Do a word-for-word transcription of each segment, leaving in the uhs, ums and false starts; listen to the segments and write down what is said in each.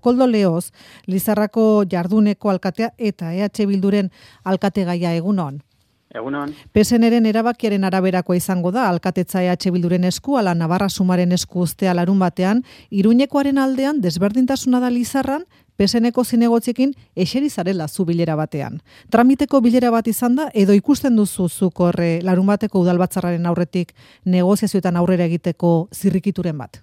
Koldo Leoz, Lizarrako jarduneko alkatea eta E H Bilduren alkategaia egunon. Egunon. P S N-ren erabakiaren araberakoa izango da, alkatetza E H Bilduren esku, ala Navarra Sumaren esku ustea larun batean, Iruñekoaren aldean desberdintasuna da Lizarran, P S N-ko zinegotziekin eseri zarela zu bilera batean. Tramiteko bilera bat izan da, edo ikusten duzu zuk horre larun bateko udalbatzarraren aurretik negoziazioetan aurrera egiteko zirrikituren bat?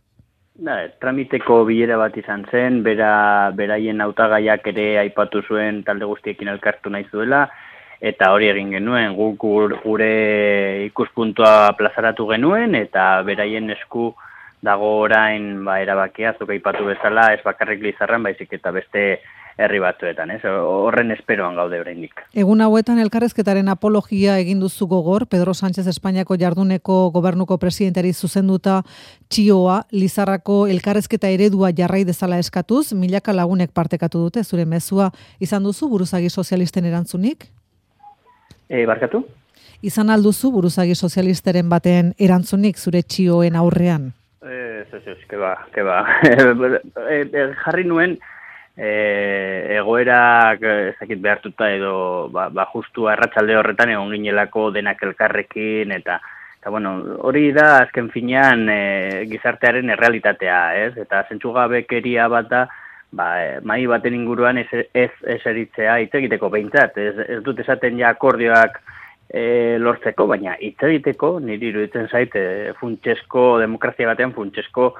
Da, tramiteko bilera bat izan zen, bera, beraien hautagaiak ere aipatu zuen talde guztiekin elkartu nahi zuela, eta hori egin genuen, guk gure ikuspuntua plazaratu genuen, eta beraien esku dago orain ba, erabakia, zuk aipatu bezala, ez bakarrik Lizarran, baizik eta beste herri batzuetan, ez? Horren esperoan gaude oraindik. Egun hauetan elkarrezketaren apologia egin duzu gogor, Pedro Sánchez Espainiako jarduneko gobernuko presidentari zuzenduta txioa, Lizarrako elkarrezketa eredua jarrai dezala eskatuz, milaka lagunek partekatu dute, zure mezua izan duzu buruzagi sozialisten erantzunik? E, barkatu? Izan alduzu buruzagi sozialisteren baten erantzunik zure txioen aurrean? Ez, ez, ez, keba, keba. Jarri nuen, E, egoerak ezakit behartuta edo ba, ba justu arratsalde horretan egon ginelako denak elkarrekin eta eta bueno, hori da azken finean e, gizartearen errealitatea, ez? Eta zentzugabekeria bat da ba, e, mai baten inguruan ez ez eseritzea hitz egiteko behintzat, ez, ez dut esaten ja akordioak e, lortzeko, baina hitz egiteko niri iruditzen zait e, funtsesko demokrazia batean funtsesko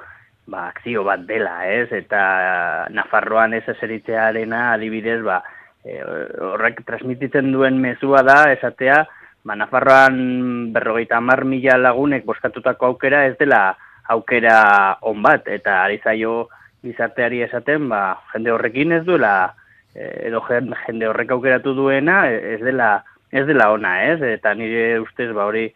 ba, akzio bat dela, ez? Eta Nafarroan ez eseritzearena adibidez, ba, e, horrek transmititzen duen mezua da, esatea, ba, Nafarroan berrogeita hamar mila lagunek boskatutako aukera ez dela aukera on bat, eta ari zaio gizarteari esaten, ba, jende horrekin ez duela, edo jende horrek aukeratu duena, ez dela, ez dela ona, ez? Eta nire ustez, ba, hori,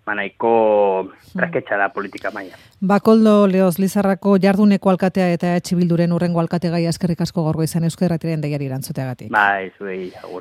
manaiko traketxa da politika maila. Bakoldo Leoz, Lizarrako jarduneko alkatea eta E H Bilduren urrengo alkategaia eskerrik asko gaur goizean Euskal Irratiaren deiari erantzuteagatik. Bai, zuei, agur.